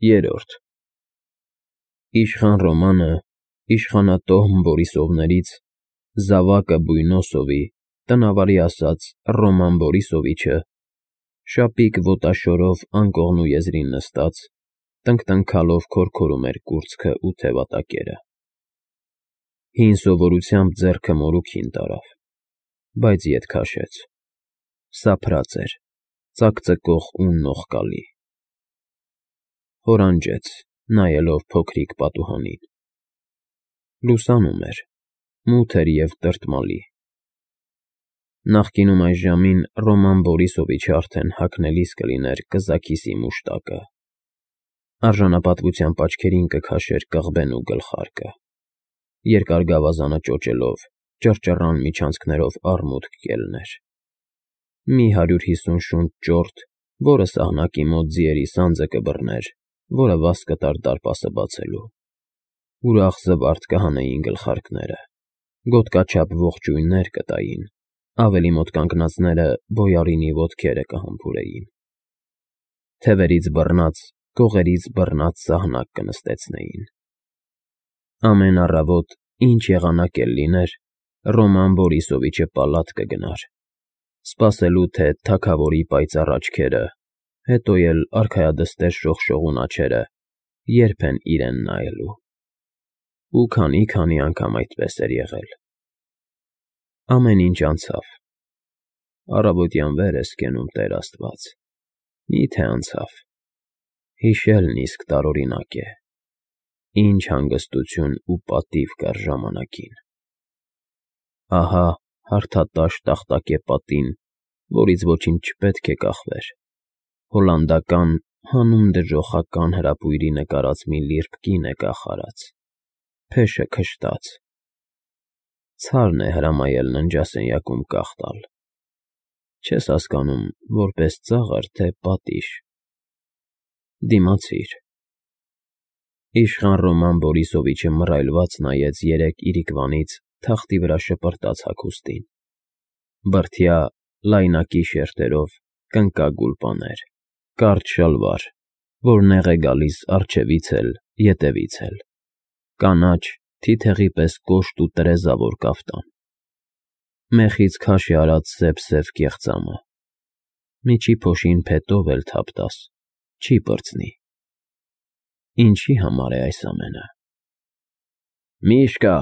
Երրորդ Իշխան Ռոմանը իշխանատոհմ Բորիսովներից զավակը Բույնոսովի, տնավարի ասած Ռոման Բորիսովիչը, շապիկ ոտաշորով անկողնու եզրին նստած, տնկտնքալով քորքորում էր կուրծքը ու թևատակերը։ Հին սովորությամբ ձեռքը մորուքին տարավ, բայց ետ քաշեց, սափրած էր, ծակծկող ու նողկալի։ Հորանջեց, նայելով փոքրիկ պատուհանին։ Լուսանում էր, մութ էր և տրտմալի։ Նախկինում այս ժամին Ռոման Բորիսովիչը արդեն հագնելիս կլիներ կզաքիսի մուշտակը, արժանապատվությամբ աչքերին կքաշեր կղբեն ու գլխարկը, երկար գավազանը ճոճելով, ճռճռան միջանցքներով արմուտք կելներ։ Մի 150 շունչ ճորտ, որը սահնակի մոտ ձիերի սանձը կբռներ, որը վաս կտար դարպասը բացելու։ Ուրախ զվարթ կհանեին գլխարկները, գոտկաչափ ողջույններ կտային, ավելի մոտ կանգնածները բոյարինի ոտքերը կհամբուրեին։ Թևերից բռնած, կողերից բռնած սահնակ կնստեցնեին։ Ամեն առավոտ, ինչ եղանակ էլ լիներ, Ռոման Բորիսովիչը պալատ կգնար, սպասելու թե թագավորի պայծառ աչքերը, հետո էլ արքայադստեր շողշողուն աջերը երբ են իրեն նայելու։ Ու քանի անգամ այդպես էր եղել։ Ամեն ինչ անցավ։ Առավոտյան վեր ես կենում, Տեր Աստված, մի՞թե անցավ։ Հիշելն իսկ տարօրինակ է։ Ինչ հանգստություն ու պատիվ կար ժամանակին։ Ահա հարթատաշ տախտակե պատին, որից ոչինչ չպետք է կախվեր, հոլանդական հանուն դժոխական հրապույրի նկարած մի լիրբ կին է կախարած, փեշը քշտած։ Ցարն է հրամայել ննջասենյակում կախ տալ։ Չես հասկանում, որպես ծաղր, թե պատիժ։ Դիմացիր։ Իշխան Ռոման Բորիսովիչը մռայլված նայեց երեք իրիկվանից թախտի վրա շպրտած հագուստին։ Բրդյա, լայնակի շերտերով կնկագուլ պաներ, կարճ շալվար, որ նեղ է գալիս առջևից էլ, ետևից էլ, կանաչ, թիթեղի պես կոշտ ու տրեզավոր կաֆտան, մեխից քաշ է արած սև կեղծամը, միջի փոշին փետով էլ թափ տաս, չի պրծնի։ Ինչի համար է այս ամենը։ Միշկա,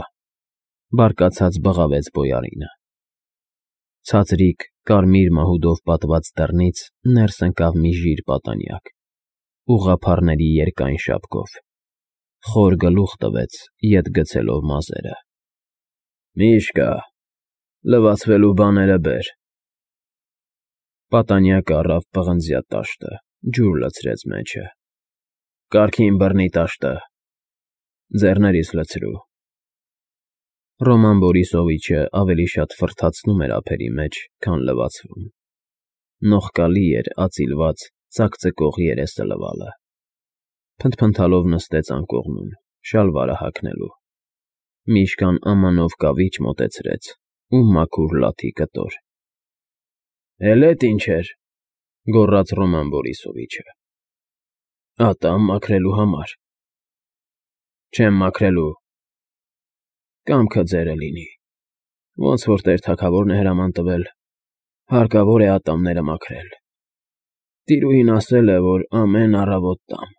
բարկացած բղավեց բոյարինը։ Ցածրիկ, կարմիր մահուդով պատված դռնից ներս ընկավ մի ժիր պատանյակ, ուղղափառների երկայն շապկով, խոր գլուխ տվեց, ետ գցելով մազերը։ Միշկա, լվացվելու բաները բեր։ Պատանյակը առավ պղնձյա տաշտը, ջուր լցրեց մեջը։ Կարգին բռնի տաշտը։ Ձեռներիս լցրու։ Ռոման Բորիսովիչը ավելի շատ ֆռթացնում էր ափերի մեջ, քան լվացվում։ Նողկալի էր ածիլված, ծակծկող երեսը լվալը։ Փնթփնթալով նստեց անկողնում, շալվարը հագնելու։ Միշկան ամանով կավիճ մոտեցրեց ու մաքուր լաթի կտոր։ Էլ էդ ինչ էր, գոռաց Ռոման Բորիսովիչը։ Ատամ մաքրելու համար։ Չեմ մաքրելու։ Կամքը ձերը լինի։ Ոնց որ տեր թագավորն է հրաման տվել, հարկավոր է ատամները մաքրել։ Տիրուհին ասել է, որ ամեն առավոտ տամ։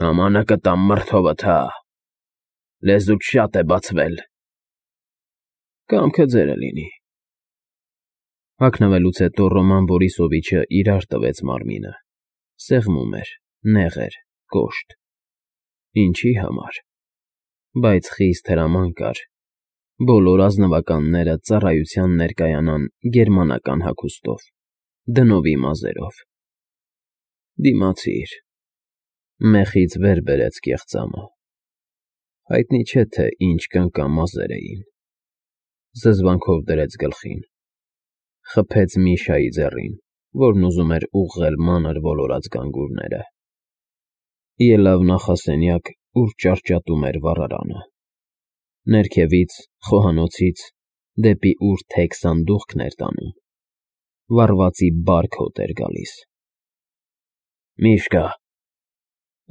Ամանը կտամ մրթովդ, հա։ Լեզուդ շատ է բացվել։ Կամքը ձերը լինի։ Հագնվելուց հետո Ռոման Բորիսովիչը իրար տվեց մարմինը։ Սեղմում էր, նեղ էր, կոշտ։ Ինչի համար։ Բայց խիստ հրաման կար։ Բոլոր ազնվականները ծառայության ներկայանան գերմանական հագուստով, դնովի մազերով։ Դիմացիր։ Մեխից վեր բերեց կեղծամը։ Հայտնի չէ, թե ինչ կնկա մազեր էին։ Զզվանքով դրեց գլխին։ Խփեց Միշայի ձեռին, որն ուզում էր ուղղել մանր ոլորած գանգուրները։ Ելավ նախասենյակ, ուր ճարճատում էր վառարանը։ Ներքևից, խոհանոցից, դեպի ուր թեք սանդուղքն էր տանում, վառվածի բարք հոտ էր գալիս։ Միշկա,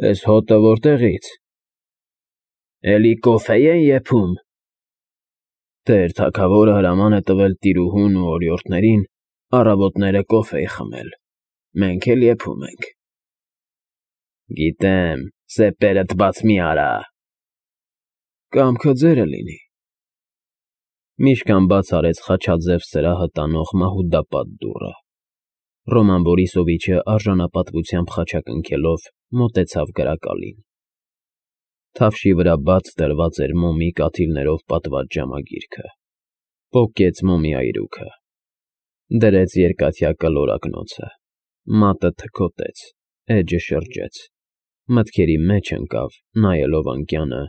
Էս հոտը որտեղից։ Էլի կոֆե են եփում։ Տեր թագավորը հրաման է տվել տիրուհուն ու օրիորդներին առավոտները կոֆե խմել։ Մենք էլ եփում ենք։ Գիտեմ, սեպերդ բաց մի արա։ Կամքը ձերը լինի։ Միշկան բաց արեց խաչաձև սրահը տանող մահուդապատ դուռը։ Ռոման Բորիսովիչը արժանապատվությամբ խաչակնքելով մոտեցավ գրակալին։ Թավշի վրա բաց դրված էր մոմի կաթիլներով պատված ժամագիրքը։ Պոկեց մոմի այրուքը։ Դրեց երկաթյա կլորակնոցը։ Մատը թքոտեց, էջը շրջեց։ Մտքերի մեջ ընկավ, նայելով անկյանը,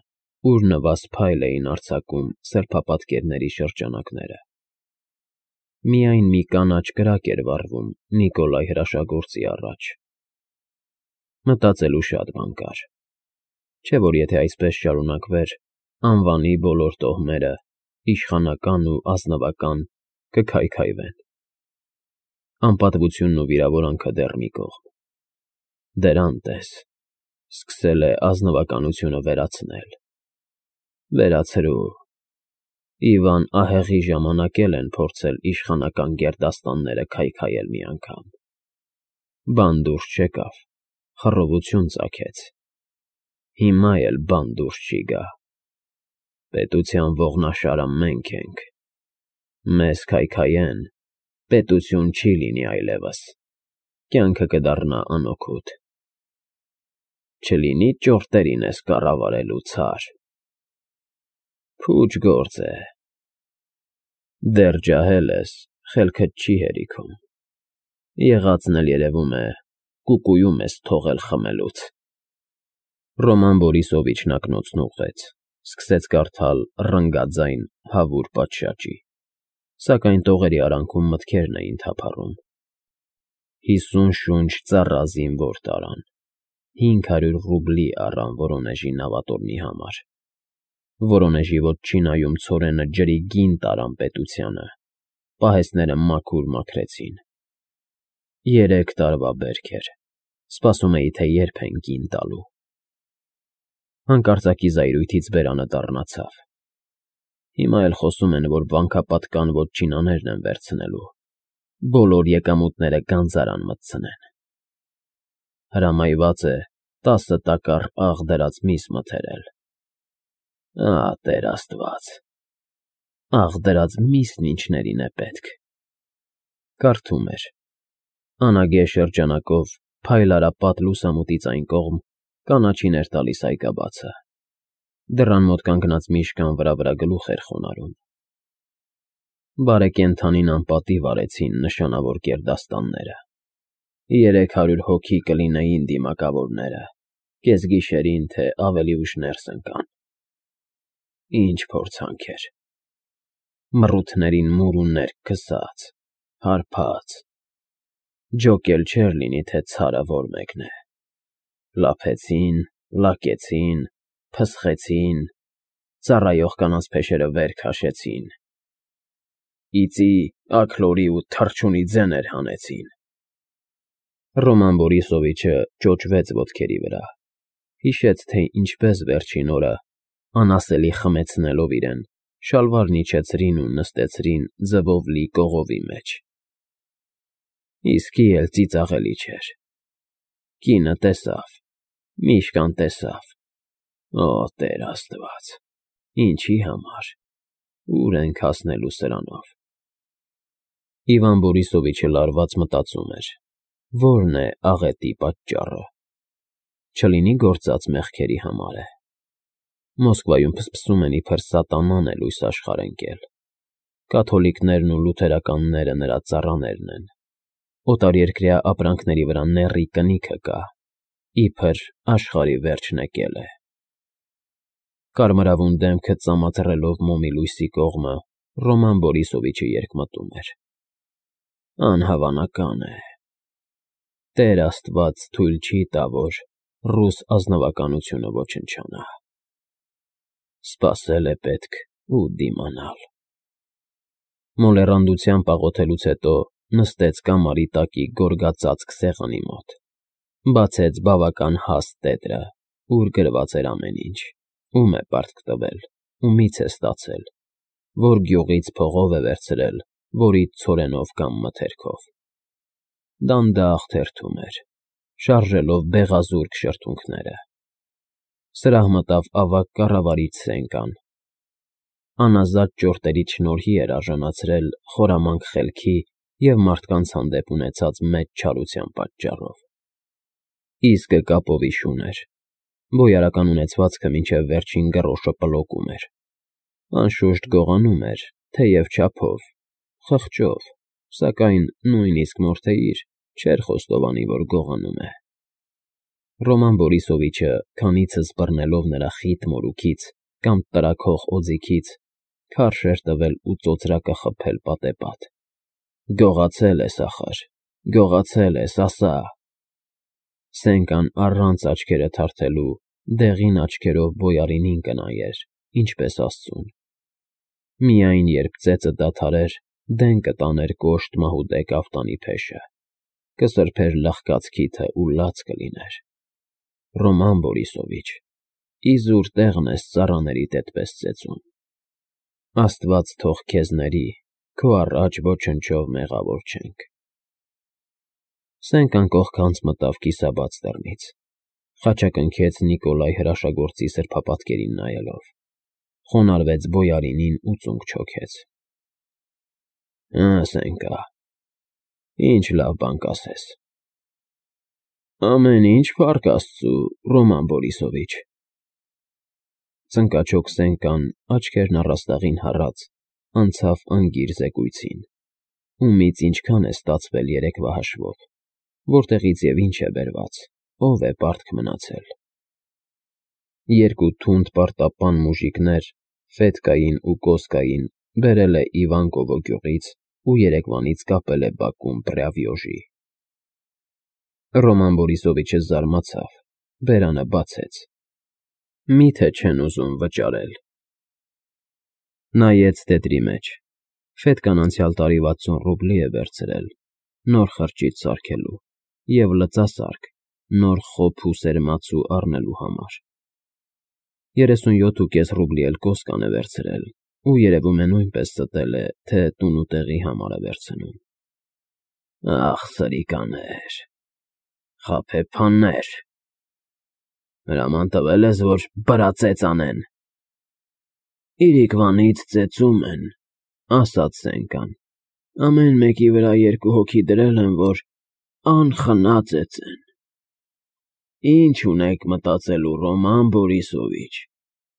ուր նվազ փայլ էին արձակում սրբապատկերների շրջանակները։ Միայն մի կանաչ կրակ էր վառվում Նիկոլայ հրաշագործի առաջ։ Մտածելու շատ բան կար։ Չէ՞ որ եթե այսպես շարունակվեր, անվանի բոլոր տոհմերը, իշխանական ու ազնվական, կքայքայվեն։ Անպատվությունն ու վիրավորանքը դեռ մի կողմ։ Դրան տես, սկսել է ազնվականությունը վերացնել։ Վերացրու։ Իվան ահեղի ժամանակ էլ են փորձել իշխանական գերդաստանները քայքայել մի անգամ։ Բան դուրս չեկավ, խռովություն ծագեց։ Հիմա էլ բան դուրս չի գա։ Պետության ողնաշարը մենք ենք։ Մեզ քայքայեն, պետություն չի լինի այլևս։ Կյանքը կդառնա անօգուտ։ Չլինի ճորտերին ես կառավարելու ցար։ Փուչ գործ է։ Դեռ ջահել ես, խելքդ չի հերիքում։ Եղածն էլ երևում է, կուկուում ես թողել խմելուց։ Ռոման Բորիսովիչն ակնոցն ուղղեց, սկսեց կարդալ ռնգաձայն հավուր պատշաճի, սակայն տողերի արանքում մտքերն էին թափառում։ 50 շունչ ծառա զինվոր տարան, 500 ռուբլի առան Վորոնեժի նավատորմի համար։ Վորոնեժի ոչինայում ցորենը ջրի գին տարան պետությանը, պահեստները մաքուր մաքրեցին։ 3 տարվա բերք էր, սպասում էի, թե երբ են գին տալու։ Հանկարծակի զայրույթից բերանը դառնացավ։ Հիմա էլ խոսում են, որ վանքապատկան ոչինաներն են վերցնելու, բոլոր եկամուտները գանձարան մտցնեն։ Հրամայված է 10 տակառ աղ դրած միս մթերել։ Տեր Աստված, աղ դրած միսն ինչներին է պետք։ Կարդում էր. անագե շրջանակով փայլարապատ լուսամուտից այն կողմ կանաչին էր տալիս այգաբացը։ Դռան մոտ կանգնած միշկան վրա գլուխ էր խոնարհում։ Բարեկենդանին անպատիվ արեցին նշանավոր գերդաստանները։ 300 հոգի կլինեին դիմակավորները, կեսգիշերին, թե ավելի ուշ ներս ընկան։ Ինչ փորձանք էր։ Մռութներին մուր ու ներք քսած, հարբած։ Ջոկ էլ չէր լինի, թե ցարը որ մեկն է։ Լափեցին, լակեցին, փսխեցին, ծառայող կանանց փեշերը վեր քաշեցին։ Իծի, աքլորի ու թռչունի ձեներ հանեցին։ Ռոման Բորիսովիչը ճոճվեց ոտքերի վրա, հիշեց, թե ինչպես վերջին օրը, անասելի խմեցնելով իրեն, շալվարն իջեցրին ու նստեցրին ձվով լի կողովի մեջ։ Իսկի էլ ծիծաղելի չէր։ Կինը տեսավ, միշկան տեսավ։ Օ, Տեր Աստված, ինչի համար, ուր ենք հասնելու սրանով։ Իվան Բորիսովիչը լարված մտածում էր. որն է աղետի պատճառը։ Չլինի գործած մեղքերի համար է։ Մոսկվայում փսփսում են իբր սատանան է լույս աշխարհ ընկել։ Կաթոլիկներն ու լութերականները նրա ծառաներն են։ Օտարերկրյա ապրանքների վրա նեռի կնիքը կա, իբր աշխարհի վերջն եկել է։ Կարմրավուն դեմքը ծամաթռելով մոմի լույսի կողմը, Ռոման Բորիսովիչը երկմտում էր։ Անհավանական է։ Տեր Աստված թույլ չի տա, որ ռուս ազնվականությունը ոչնչանա։ Սպասել է պետք ու դիմանալ։ Մոլեռանդությամբ աղոթելուց հետո նստեց կամարի տակի գորգածածկ սեղանի մոտ։ Բացեց բավական հաստ տետրը, ուր գրված էր ամեն ինչ, ում է պարտք տվել, ումից է ստացել, որ գյուղից փողով է վերցրել, որից ցորենով կամ մթերքով։ Դանդաղ թերթում էր, շարժելով բեղազուրկ շրթունքները։ Սրահ մտավ ավագ կառավարիչ Սենկան։ Անազատ ճորտերի շնորհի էր արժանացրել խորամանկ խելքի և մարդկանց հանդեպ ունեցած մեծ չարության պատճառով։ Իսկը կապովի շուն էր, բոյարական ունեցվածքը մինչև վերջին գրոշը պլոկում էր, անշուշտ գողանում էր, թեև չափով, խղճով, սակայն նույնիսկ Մորթեիր չէր խոստովանի, որ գողանում է։ Ռոման Բորիսովիչը, քանիցս բռնելով նրա խիտ մորուքից կամ տրաքող օձիքից, քարշ էր տվել ու ծոծրակը խփել պատեպատ։ Գողացել ես, ախր, գողացել ես, ասա… Սենկան առանց աչքերը թարթելու դեղին աչքերով բոյարինին կնայեր, ինչպես աստծուն։ Միայն երբ ծեծը դադարեր, դեն կտաներ կոշտ մահուդե կաֆտանի փեշը, կսրբեր լախկած քիթը ու լաց կլիներ։ Ռոման Բորիսովիչ, իզուր տեղն ես ծառաներիդ էդպես ծեծում։ Աստված թող քեզ ների, քո առաջ ոչնչով մեղավոր չենք։ Սենկան կողքանց մտավ կիսաբաց դռնից, խաչակնքեց Նիկոլայ հրաշագործի սրբապատկերին նայելով, խոնարհվեց բոյարինին ու ծունկ չոքեց։ Սենկա, ինչ լավ բան կասես։ Ամեն ինչ, փառք Աստծու, Ռոման Բորիսովիչ։ Ծնկաչոք Սենկան, աչքերն առաստաղին հառած, անցավ անգիր զեկույցին, ումից ինչքան է ստացվել երեկվա հաշվով, որտեղից և ինչ է բերված, ով է պարտք մնացել։ Երկու թունդ պարտապան մուժիկներ, Ֆետկային ու Կոսկային, բերել է Իվանկովո գյուղից ու երեկվանից կապել է բակում Պրյավյոժի։ Ռոման Բորիսովիչը զարմացավ, բերանը բացեց։ Մի՞թե չեն ուզում վճարել։ Նայեց տետրի մեջ։ Ֆետկան անցյալ տարի 60 ռուբլի է վերցրել, նոր խրճիթ սարքելու և լծասարք, նոր խոփ ու սերմացու առնելու համար։ 37.5 ռուբլի էլ Կոսկան է վերցրել ու երևում է նույնպես ստել է, թե տուն ու տեղի համար է վերցնում։ Ախ, սրիկաներ, խաբեբաներ… Հրաման տվել ես, որ բրածեծ անեն։ Իրիկվանից ծեծում են, ասաց Սենկան, ամեն մեկի վրա 2 հոգի դրել են, որ անխնա ծեծեն։ Ինչ ունեք մտածելու, Ռոման Բորիսովիչ,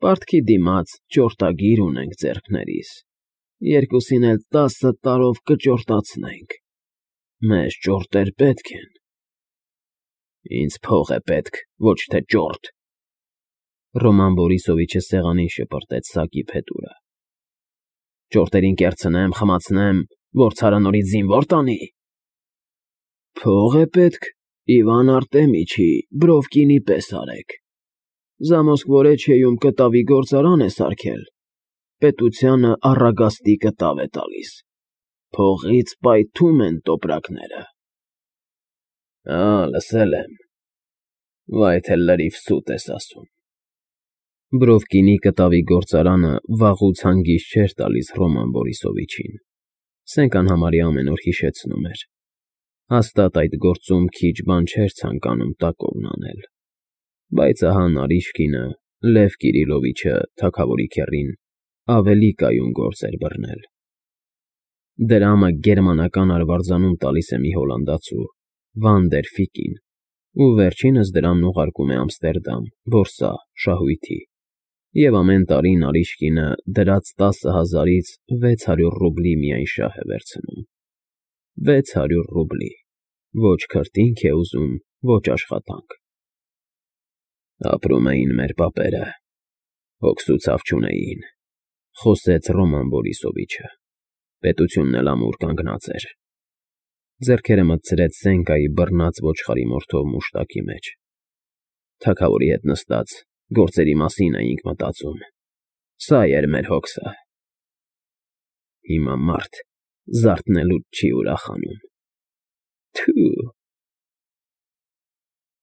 պարտքի դիմաց ճորտագիր ունենք ձեռքներիս, երկուսին էլ 10 տարով կճորտացնենք, մեզ ճորտեր պետք են։ Ինձ փող է պետք, ոչ թե ճորտ։ Ռոման Բորիսովիչը սեղանին շպրտեց սակի փետուրը։ Ճորտերին կերցնեմ, խմացնեմ, որ ցարը նորից զինվոր տանի։ Փող է պետք, Իվան Արտեմիչի, Բրովկինի պես արեք։ Զամոսկվորեչիեում կտավի գործարան է սարքել, պետությանը առագաստի կտավ է տալիս, փողից պայթում են տոպրակները։ Լսել եմ, վայ թե լրիվ սուտ ես ասում։ Բրովկինի կտավի գործարանը վաղուց հանգիստ չէր տալիս Ռոման Բորիսովիչին։ Սենկան համարյա ամեն օր հիշեցնում էր։ Հաստատ այդ գործում քիչ բան չէր ցանկանում տակովն անել։ Բայց ահա Նարիշկինը, Լև Կիրիլովիչը, թագավորի քեռին, ավելի կայուն գործ էր բռնել։ Դրամը գերմանական արվարձանում տալիս է մի հոլանդացու, Վան դեր Ֆիկին, ու վերջինս դրամն ուղարկում է Ամստերդամ, որսա, շահույթի, և ամեն տարի Նարիշկինը դրած 10,000-ից 600 ռուբլի միայն շահ է վերցնում։ 600 ռուբլի, ոչ քրտինք է ուզում, ոչ աշխատանք։ Ապրում էին մեր պապերը, հոգսուցավ չունեին, խոսեց Ռոման Բորիսովիչը, պետությունն էլ ամուր կանգնած էր։ Ձեռքերը մտցրեց Սենկայի բռնած ոչխարի մորթով մուշտակի մեջ։ Թագավորի հետ նստած գործերի մասին էինք մտածում, սա էր մեր հոգսը։ Հիմա մարդ զարթնելուց չի ուրախանում։ Թու,